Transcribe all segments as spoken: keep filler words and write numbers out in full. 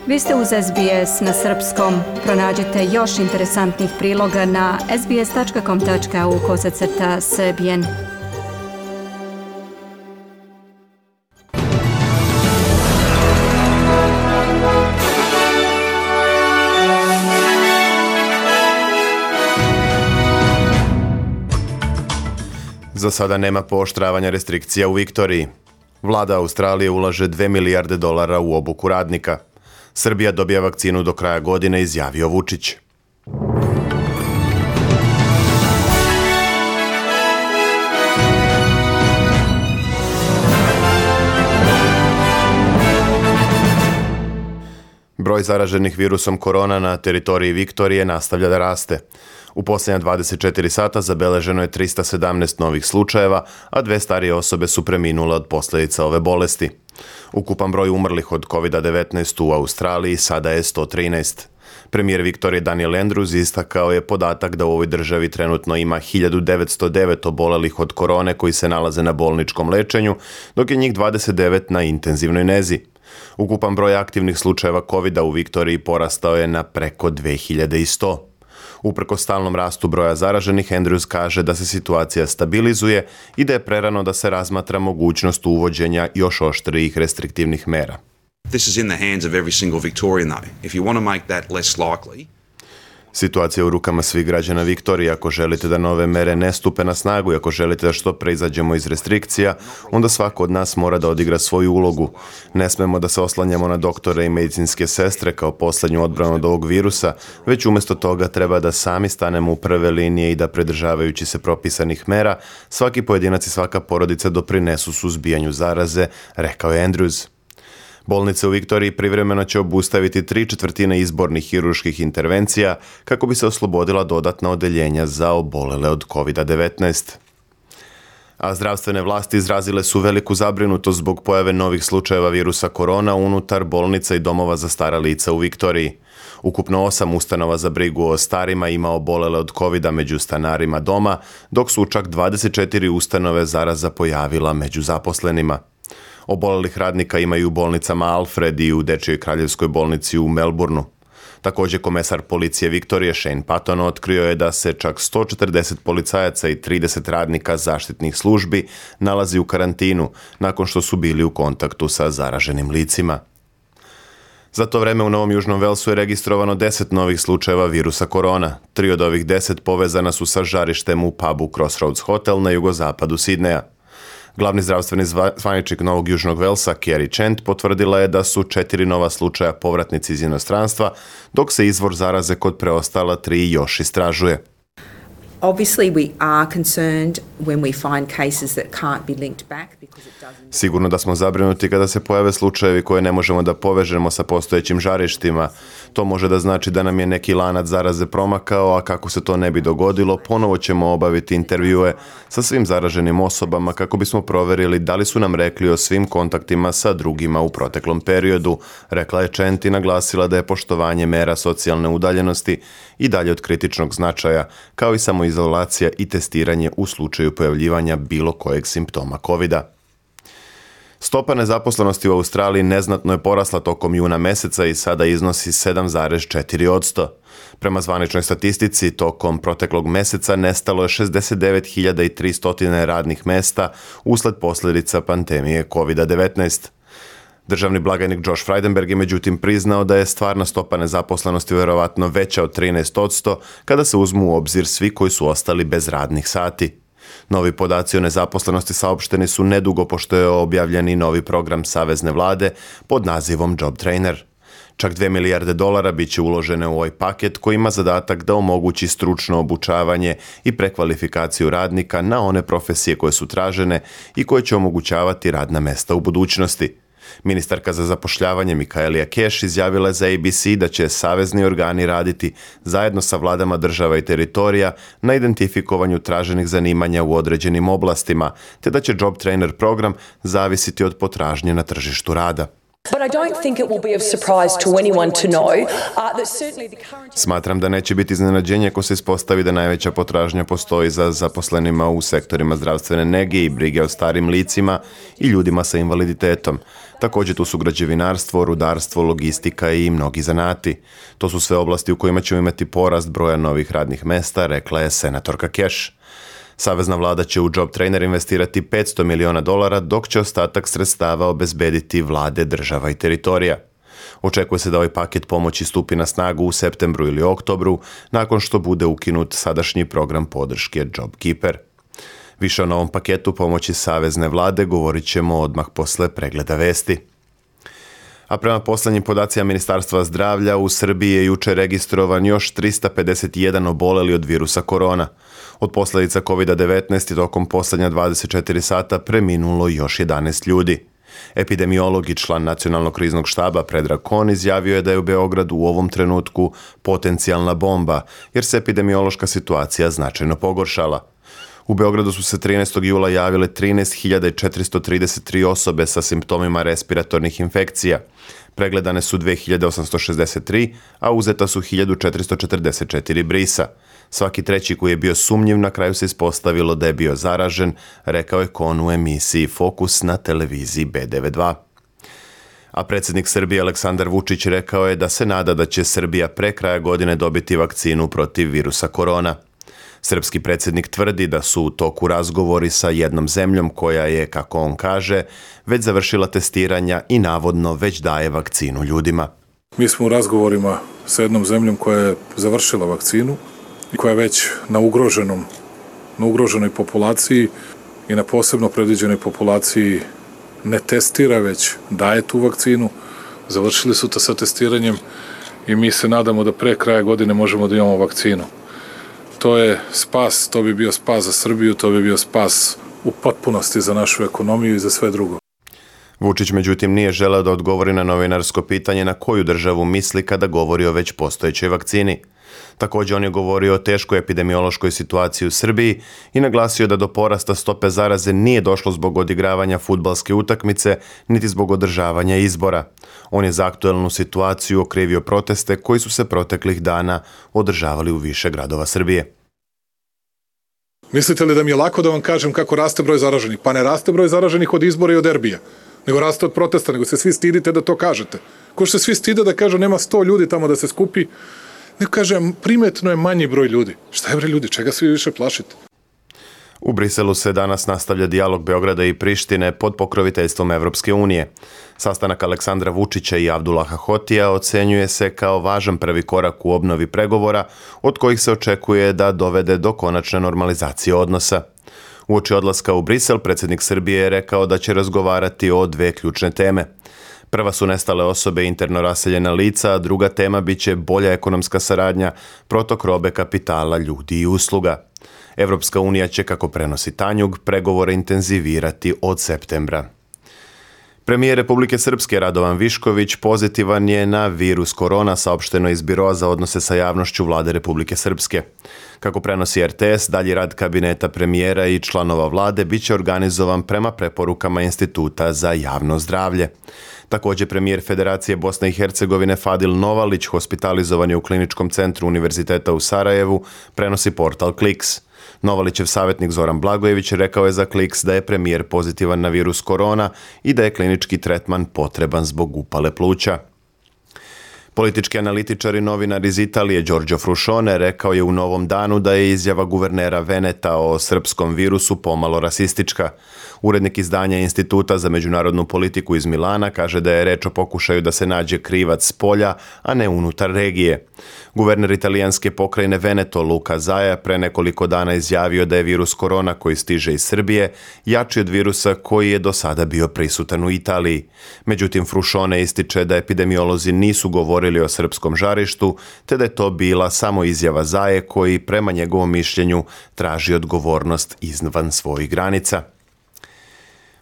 Vi ste uz S B S na srpskom. Pronađite još interesantnih priloga na sbs.com.au kosacrta srbijen. Za sada nema pooštravanja restrikcija u Viktoriji. Vlada Australije ulaže dve milijarde dolara u obuku radnika. Srbija dobija vakcinu do kraja godine, izjavio Vučić. Broj zaraženih virusom korona na teritoriji Viktorije nastavlja da raste. U posljednja dvadeset četiri sata zabeleženo je trista sedamnaest novih slučajeva, a dve starije osobe su preminule od posljedica ove bolesti. Ukupan broj umrlih od kovid devetnaest u Australiji sada je sto trinaest. Premijer Viktorije Daniel Andrews istakao je podatak da u ovoj državi trenutno ima hiljadu devetsto devet obolelih od korone koji se nalaze na bolničkom lečenju, dok je njih dvadeset devet na intenzivnoj nezi. Ukupan broj aktivnih slučajeva kovida u Viktoriji porastao je na preko dve hiljade sto. Uprkos stalnom rastu broja zaraženih, Andrews kaže da se situacija stabilizuje i da je prerano da se razmatra mogućnost uvođenja još oštrijih restriktivnih mera. This is in the hands of every single Victorian though. If you want to make that less likely, situacija je u rukama svih građana Viktorije. Ako želite da nove mere ne stupe na snagu i ako želite da što pre izađemo iz restrikcija, onda svako od nas mora da odigra svoju ulogu. Ne smemo da se oslanjamo na doktore i medicinske sestre kao posljednju odbranu od ovog virusa, već umjesto toga treba da sami stanemo u prve linije i da, pridržavajući se propisanih mera, svaki pojedinac i svaka porodica doprinesu suzbijanju zaraze, rekao je Andrews. Bolnice u Viktoriji privremeno će obustaviti tri četvrtine izbornih hirurških intervencija kako bi se oslobodila dodatna odeljenja za obolele od kovid devetnaest. A zdravstvene vlasti izrazile su veliku zabrinutost zbog pojave novih slučajeva virusa korona unutar bolnica i domova za stara lica u Viktoriji. Ukupno osam ustanova za brigu o starima ima obolele od kovida među stanarima doma, dok su čak dvadeset četiri ustanove zaraza pojavila među zaposlenima. Obolelih radnika imaju u bolnicama Alfred i u Dečijoj kraljevskoj bolnici u Melbourneu. Također komesar policije Viktorije Shane Patton otkrio je da se čak sto četrdeset policajaca i trideset radnika zaštitnih službi nalazi u karantinu nakon što su bili u kontaktu sa zaraženim licima. Za to vreme u Novom Južnom Velsu je registrovano deset novih slučajeva virusa korona. Tri od ovih deset povezana su sa žarištem u pubu Crossroads Hotel na jugozapadu Sidneja. Glavni zdravstveni zvaničnik Novog Južnog Velsa, Kerry Chant, potvrdila je da su četiri nova slučaja povratnici iz inostranstva, dok se izvor zaraze kod preostala tri još istražuje. Obviously we are concerned when we find cases that can't be linked back because it doesn't. Sigurno da smo zabrinuti kada se pojave slučajevi koje ne možemo da povežemo sa postojećim žarištima. To može da znači da nam je neki lanac zaraze promakao, a kako se to ne bi dogodilo, ponovo ćemo obaviti intervjue sa svim zaraženim osobama kako bismo proverili da li su nam rekli o svim kontaktima sa drugima u proteklom periodu, rekla je Chant i naglasila da je poštovanje mera socijalne udaljenosti i dalje od kritičnog značaja, kao i samoizolacija i testiranje u slučaju pojavljivanja bilo kojeg simptoma kovida. Stopa nezaposlenosti u Australiji neznatno je porasla tokom juna meseca i sada iznosi sedam zarez četiri posto. Prema zvaničnoj statistici, tokom proteklog meseca nestalo je šezdeset devet hiljada tristo radnih mesta usled posljedica pandemije kovid devetnaest. Državni blagajnik Josh Frydenberg je međutim priznao da je stvarna stopa nezaposlenosti vjerovatno veća od trinaest posto kada se uzmu u obzir svi koji su ostali bez radnih sati. Novi podaci o nezaposlenosti saopšteni su nedugo pošto je objavljen i novi program savezne vlade pod nazivom Job Trainer. Čak dve milijarde dolara bit će uložene u ovaj paket koji ima zadatak da omogući stručno obučavanje i prekvalifikaciju radnika na one profesije koje su tražene i koje će omogućavati radna mesta u budućnosti. Ministarka za zapošljavanje Michaelia Cash izjavila je za A B C da će savezni organi raditi zajedno sa vladama država i teritorija na identifikovanju traženih zanimanja u određenim oblastima, te da će Job Trainer program zavisiti od potražnje na tržištu rada. But I don't think it will be of surprise to anyone to know uh, that certainly the current... Smatram da neće biti iznenađenje ako se ispostavi da najveća potražnja postoji za zaposlenima u sektorima zdravstvene nege i brige o starim licima i ljudima sa invaliditetom. Također tu su građevinarstvo, rudarstvo, logistika i mnogi zanati. To su sve oblasti u kojima ćemo imati porast broja novih radnih mesta, rekla je senatorka Cash. Savezna vlada će u Job Trainer investirati petsto miliona dolara, dok će ostatak sredstava obezbediti vlade država i teritorija. Očekuje se da ovaj paket pomoći stupi na snagu u septembru ili oktobru, nakon što bude ukinut sadašnji program podrške JobKeeper. Više o novom paketu pomoći savezne vlade govorit ćemo odmah posle pregleda vesti. A prema posljednjim podacima Ministarstva zdravlja, u Srbiji je jučer registrovan još trista pedeset jedan oboleli od virusa korona. Od posljedica kovid devetnaest i tokom posljednja dvadeset četiri sata preminulo još jedanaest ljudi. Epidemiolog i član Nacionalnog kriznog štaba Predrag Kon izjavio je da je u Beogradu u ovom trenutku potencijalna bomba, jer se epidemiološka situacija značajno pogoršala. U Beogradu su se trinaestog jula javile trinaest hiljada četiristo trideset tri osobe sa simptomima respiratornih infekcija. Pregledane su dve hiljade osamsto šezdeset tri, a uzeta su hiljadu četiristo četrdeset četiri brisa. Svaki treći koji je bio sumnjiv na kraju se ispostavilo da je bio zaražen, rekao je Kon u emisiji Fokus na televiziji B devedeset dva. A predsjednik Srbije Aleksandar Vučić rekao je da se nada da će Srbija pre kraja godine dobiti vakcinu protiv virusa korona. Srpski predsjednik tvrdi da su u toku razgovori sa jednom zemljom koja je, kako on kaže, već završila testiranja i navodno već daje vakcinu ljudima. Mi smo u razgovorima sa jednom zemljom koja je završila vakcinu i koja je već na ugroženom, na ugroženoj populaciji i na posebno predviđenoj populaciji ne testira, već daje tu vakcinu. Završili su to sa testiranjem i mi se nadamo da pre kraja godine možemo da imamo vakcinu. To je spas, to bi bio spas za Srbiju, to bi bio spas u potpunosti za našu ekonomiju i za sve drugo. Vučić međutim nije želeo da odgovori na novinarsko pitanje na koju državu misli kada govori o već postojećoj vakcini. Također on je govorio o teškoj epidemiološkoj situaciji u Srbiji i naglasio da do porasta stope zaraze nije došlo zbog odigravanja fudbalske utakmice, niti zbog održavanja izbora. On je za aktuelnu situaciju okrivio proteste koji su se proteklih dana održavali u više gradova Srbije. Mislite li da mi je lako da vam kažem kako raste broj zaraženih? Pa ne raste broj zaraženih od izbora i od derbija, nego raste od protesta, nego se svi stidite da to kažete. Ko što se svi stide da kažu nema sto ljudi tamo da se skupi, nego kaže primetno je manji broj ljudi. Šta je bre ljudi, čega svi više plašite? U Briselu se danas nastavlja dijalog Beograda i Prištine pod pokroviteljstvom Evropske unije. Sastanak Aleksandra Vučića i Abdullaha Hotija ocenjuje se kao važan prvi korak u obnovi pregovora, od kojih se očekuje da dovede do konačne normalizacije odnosa. Uoči odlaska u Brisel, predsjednik Srbije je rekao da će razgovarati o dve ključne teme. Prva su nestale osobe i interno raseljena lica, a druga tema biće bolja ekonomska saradnja, protok robe, kapitala, ljudi i usluga. Evropska unija će, kako prenosi Tanjug, pregovore intenzivirati od septembra. Premijer Republike Srpske Radovan Višković pozitivan je na virus korona, saopšteno iz Biroa za odnose sa javnošću Vlade Republike Srpske. Kako prenosi R T S, dalji rad kabineta premijera i članova vlade biće organizovan prema preporukama Instituta za javno zdravlje. Također premijer Federacije Bosne i Hercegovine Fadil Novalić hospitalizovan je u kliničkom centru Univerziteta u Sarajevu, prenosi portal Kliks. Novalićev savjetnik Zoran Blagojević rekao je za Kliks da je premijer pozitivan na virus korona i da je klinički tretman potreban zbog upale pluća. Politički analitičar i novinar iz Italije Giorgio Fruscione rekao je u Novom danu da je izjava guvernera Veneta o srpskom virusu pomalo rasistička. Urednik izdanja Instituta za međunarodnu politiku iz Milana kaže da je reč o pokušaju da se nađe krivac s polja, a ne unutar regije. Guverner italijanske pokrajine Veneto Luca Zaia pre nekoliko dana izjavio da je virus korona koji stiže iz Srbije jači od virusa koji je do sada bio prisutan u Italiji. Međutim, Fruscione ističe da epidemiolozi nisu govorili o srpskom žarištu, te da je to bila samo izjava Zaie koji, prema njegovom mišljenju, traži odgovornost izvan svojih granica.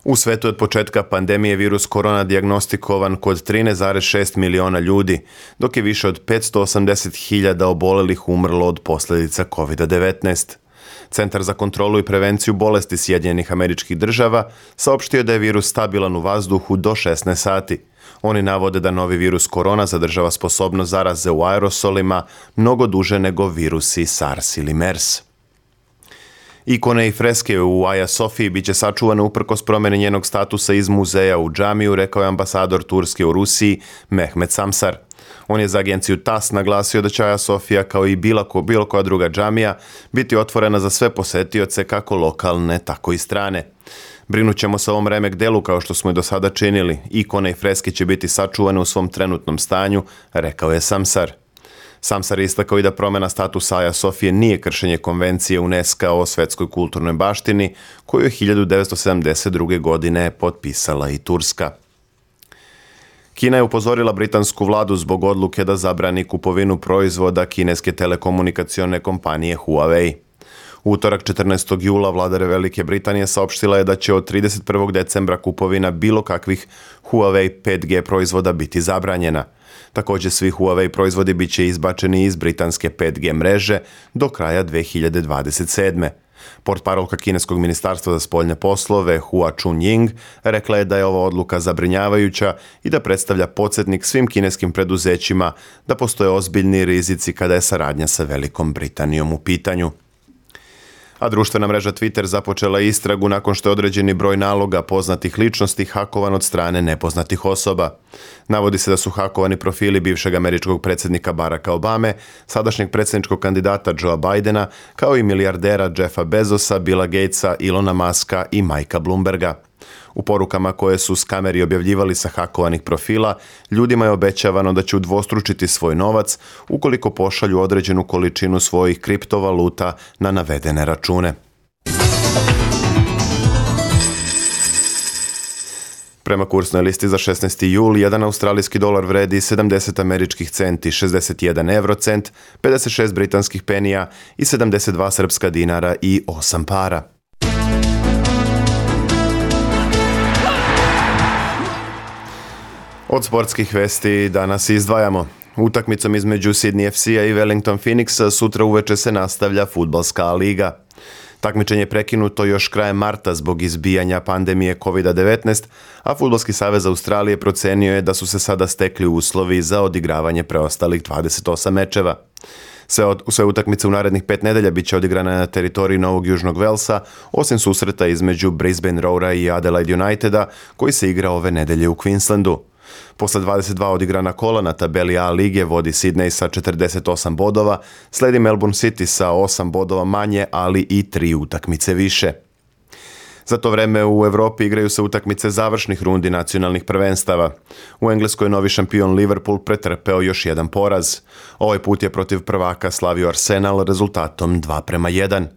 U svetu od početka pandemije virus korona dijagnostikovan kod trinaest zarez šest miliona ljudi, dok je više od petsto osamdeset hiljada obolelih umrlo od posljedica kovid devetnaest. Centar za kontrolu i prevenciju bolesti Sjedinjenih Američkih Država saopštio da je virus stabilan u vazduhu do šesnaest sati. Oni navode da novi virus korona zadržava sposobnost zaraze u aerosolima mnogo duže nego virusi SARS ili MERS. Ikone i freske u Aja Sofiji bit će sačuvane uprkos promjeni njenog statusa iz muzeja u džamiju, rekao je ambasador Turske u Rusiji Mehmet Samsar. On je za agenciju T A S naglasio da će Aja Sofija, kao i bilo, ko, bilo koja druga džamija, biti otvorena za sve posetioce, kako lokalne, tako i strane. Brinut ćemo se o ovom remek delu kao što smo i do sada činili. Ikone i freske će biti sačuvane u svom trenutnom stanju, rekao je Samsar. Samsar je istakao i da promjena statusa Aja Sofije nije kršenje konvencije UNESCO o svetskoj kulturnoj baštini, koju je hiljadu devetsto sedamdeset druge. godine potpisala i Turska. Kina je upozorila britansku vladu zbog odluke da zabrani kupovinu proizvoda kineske telekomunikacione kompanije Huawei. U utorak četrnaestog jula vlada Velike Britanije saopštila je da će od trideset prvog decembra kupovina bilo kakvih Huawei pet G proizvoda biti zabranjena. Također svi Huawei proizvodi bit će izbačeni iz britanske pet G mreže do kraja dve hiljade dvadeset sedme. Portparolka kineskog ministarstva za spoljne poslove Hua Chunying rekla je da je ova odluka zabrinjavajuća i da predstavlja podsjetnik svim kineskim preduzećima da postoje ozbiljni rizici kada je saradnja sa Velikom Britanijom u pitanju. A društvena mreža Twitter započela istragu nakon što je određeni broj naloga poznatih ličnosti hakovan od strane nepoznatih osoba. Navodi se da su hakovani profili bivšeg američkog predsjednika Baracka Obame, sadašnjeg predsjedničkog kandidata Joea Bidena, kao i milijardera Jeffa Bezosa, Billa Gatesa, Ilona Muska i Mikea Bloomberga. U porukama koje su s kameri objavljivali sa hakovanih profila, ljudima je obećavano da će udvostručiti svoj novac ukoliko pošalju određenu količinu svojih kriptovaluta na navedene račune. Prema kursnoj listi za šesnaesti jul, jedan australijski dolar vredi sedamdeset američkih centi, šezdeset jedan eurocent, pedeset šest britanskih penija i sedamdeset dva srpska dinara i osam para. Od sportskih vesti danas izdvajamo. Utakmicom između Sydney F C-a i Wellington Phoenixa sutra uveče se nastavlja fudbalska liga. Takmičenje je prekinuto još krajem marta zbog izbijanja pandemije kovid devetnaest, a Fudbalski savez Australije procenio je da su se sada stekli uslovi za odigravanje preostalih dvadeset osam mečeva. Sve, od, sve utakmice u narednih pet nedelja bit će odigrane na teritoriji Novog Južnog Velsa, osim susreta između Brisbane Roara i Adelaide Uniteda, koji se igra ove nedelje u Queenslandu. Posle dvadeset dva odigrana kola na tabeli A lige vodi Sydney sa četrdeset osam bodova, sledi Melbourne City sa osam bodova manje, ali i tri utakmice više. Za to vreme u Evropi igraju se utakmice završnih rundi nacionalnih prvenstava. U Engleskoj novi šampion Liverpool pretrpeo još jedan poraz. Ovaj put je protiv prvaka slavio Arsenal rezultatom dva prema jedan.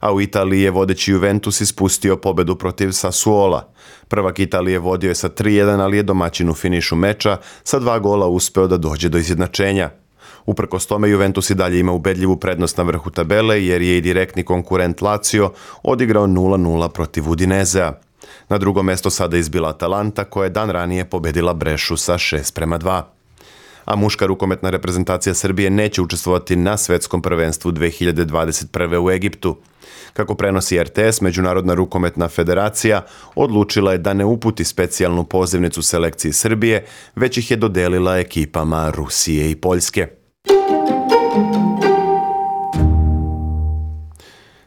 A u Italiji je vodeći Juventus ispustio pobedu protiv Sassuola. Prvak Italije vodio je sa tri jedan, ali je domaćin u finišu meča sa dva gola uspeo da dođe do izjednačenja. Uprkos tome Juventus i dalje ima ubedljivu prednost na vrhu tabele jer je i direktni konkurent Lazio odigrao nula nula protiv Udinezea. Na drugo mesto sada izbila Atalanta koja je dan ranije pobedila Brešu sa šest prema dva. A muška rukometna reprezentacija Srbije neće učestvovati na svetskom prvenstvu dve hiljade dvadeset prve. u Egiptu. Kako prenosi R T S, Međunarodna rukometna federacija odlučila je da ne uputi specijalnu pozivnicu selekciji Srbije, već ih je dodelila ekipama Rusije i Poljske.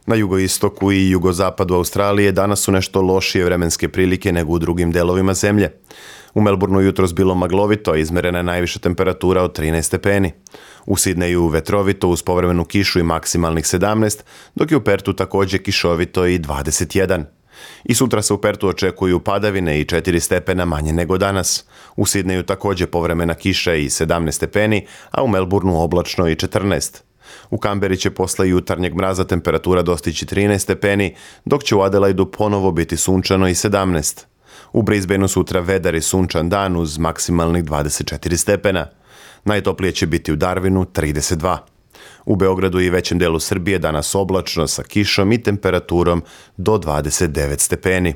Na jugoistoku i jugozapadu Australije danas su nešto lošije vremenske prilike nego u drugim delovima zemlje. U Melbourneu jutros bilo maglovito, a izmerena je najviša temperatura od trinaest stepeni. U Sidneju vetrovito uz povremenu kišu i maksimalnih sedamnaest, dok je u Pertu također kišovito i dvadeset jedan. I sutra se u Pertu očekuju padavine i četiri stepena manje nego danas. U Sidneju također povremena kiša i sedamnaest stepeni, a u Melbourneu oblačno i četrnaest. U Kamberi će posle jutarnjeg mraza temperatura dostići trinaest stepeni, dok će u Adelaidu ponovo biti sunčano i sedamnaest. U Brisbaneu sutra vedar i sunčan dan uz maksimalnih dvadeset četiri stepena. Najtoplije će biti u Darwinu trideset dva. U Beogradu i većem delu Srbije danas oblačno sa kišom i temperaturom do dvadeset devet stepeni.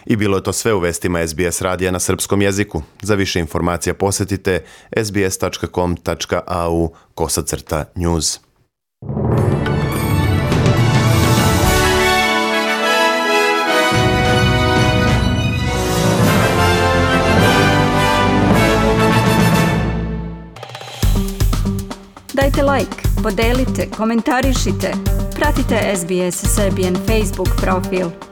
I bilo je to sve u vestima S B S radija na srpskom jeziku. Za više informacija posjetite s b s tačka com tačka a u kosacrta news. Kliknite like, podelite, komentarišite. Pratite S B S Serbian Facebook profil.